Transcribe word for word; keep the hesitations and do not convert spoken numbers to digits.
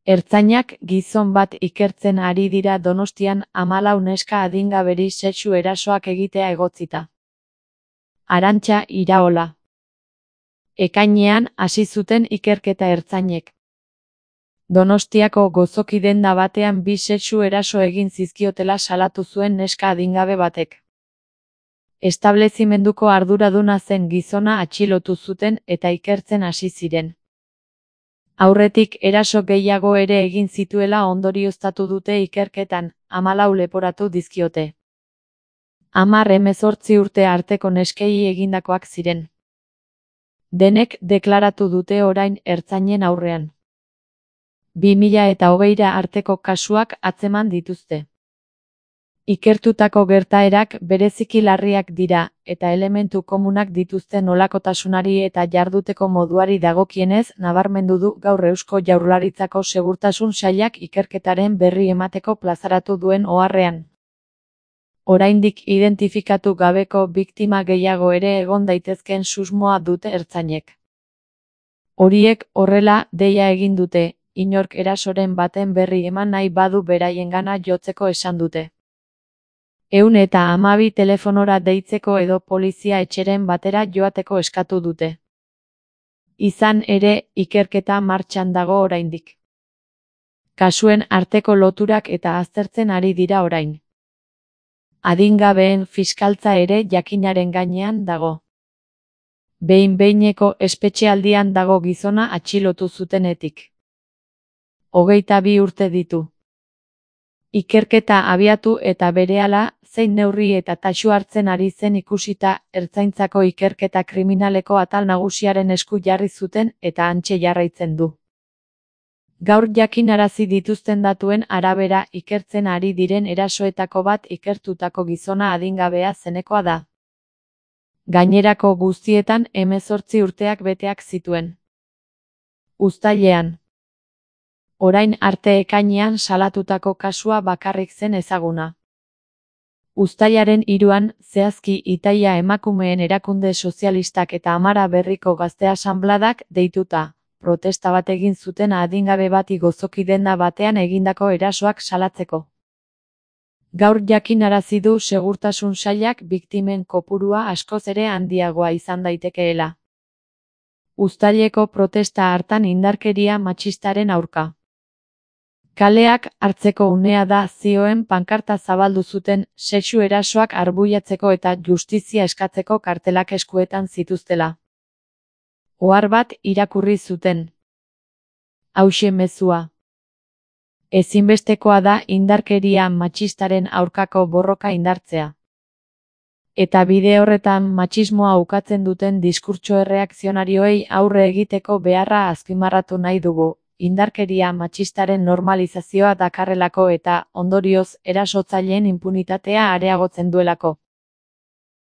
Ertzainak gizon bat ikertzen ari dira Donostian hamalau neska adingaberi sexu erasoak egitea egotzita. Arantxa Iraola. Ekainean hasi zuten ikerketa ertzainek. Donostiako gozoki denda batean bi sexu eraso egin zizkiotela salatu zuen neska adingabe batek. Establezimenduko arduraduna zen gizona atxilotu zuten eta ikertzen hasi ziren. Aurretik eraso gehiago ere egin zituela ondorioztatu dute ikerketan, hamalau leporatu dizkiote. Hamar hemezortzi urte arteko neskei egindakoak ziren. Denek deklaratu dute orain ertzainen aurrean. bi mila eta hogeira arteko kasuak atzeman dituzte. Ikertutako gertaerak bereziki larriak dira, eta elementu komunak dituzte nolakotasunari eta jarduteko moduari dagokienez nabarmendu du gaur Eusko Jaurlaritzako Segurtasun Sailak ikerketaren berri emateko plazaratu duen oharrean. Oraindik identifikatu gabeko biktima gehiago ere egon daitezkeen susmoa dute ertzainek. Horiek horrela deia egin dute, inork erasoren baten berri eman nahi badu beraiengana jotzeko esan dute. Ehun eta hamabi telefonora deitzeko edo polizia etxeren batera joateko eskatu dute. Izan ere, ikerketa martxan dago oraindik. Kasuen arteko loturak eta aztertzen ari dira orain. Adingabeen fiskaltza ere jakinaren gainean dago. Behin-behineko espetxealdian dago gizona atxilotu zutenetik. Hogeita bi urte ditu. Ikerketa abiatu eta berehala, zein neurri eta tasu hartzen ari zen ikusita, ertzaintzako ikerketa kriminaleko atal nagusiaren esku jarri zuten eta hantxe jarraitzen du. Gaur jakinarazi dituzten datuen arabera ikertzen ari diren erasoetako bat ikertutako gizona adingabea zenekoa da. Gainerako guztietan hemezortzi urteak beteak zituen. Uztailean. Orain arte ekainean salatutako kasua bakarrik zen ezaguna. Uztailaren hiruan, zehazki Itaia emakumeen erakunde sozialistak eta Amara Berriko gazte asanbladak deituta, protesta bat egin zuten adingabe bati gozoki denda batean egindako erasoak salatzeko. Gaur jakinarazi du Segurtasun Sailak biktimen kopurua askoz ere handiagoa izan daitekeela. Uztaileko protesta hartan indarkeria matxistaren aurka. Kaleak hartzeko unea da zioen pankarta zabaldu zuten sexu erasoak arbuiatzeko eta justizia eskatzeko kartelak eskuetan zituztela. Ohar bat irakurri zuten. Hauxe mezua. Ezinbestekoa da indarkeria matxistaren aurkako borroka indartzea. Eta bide horretan matxismoa ukatzen duten diskurtso erreakzionarioei aurre egiteko beharra azpimarratu nahi dugu. Indarkeria matxistaren normalizazioa dakarrelako eta, ondorioz, erasotzaileen inpunitatea areagotzen duelako.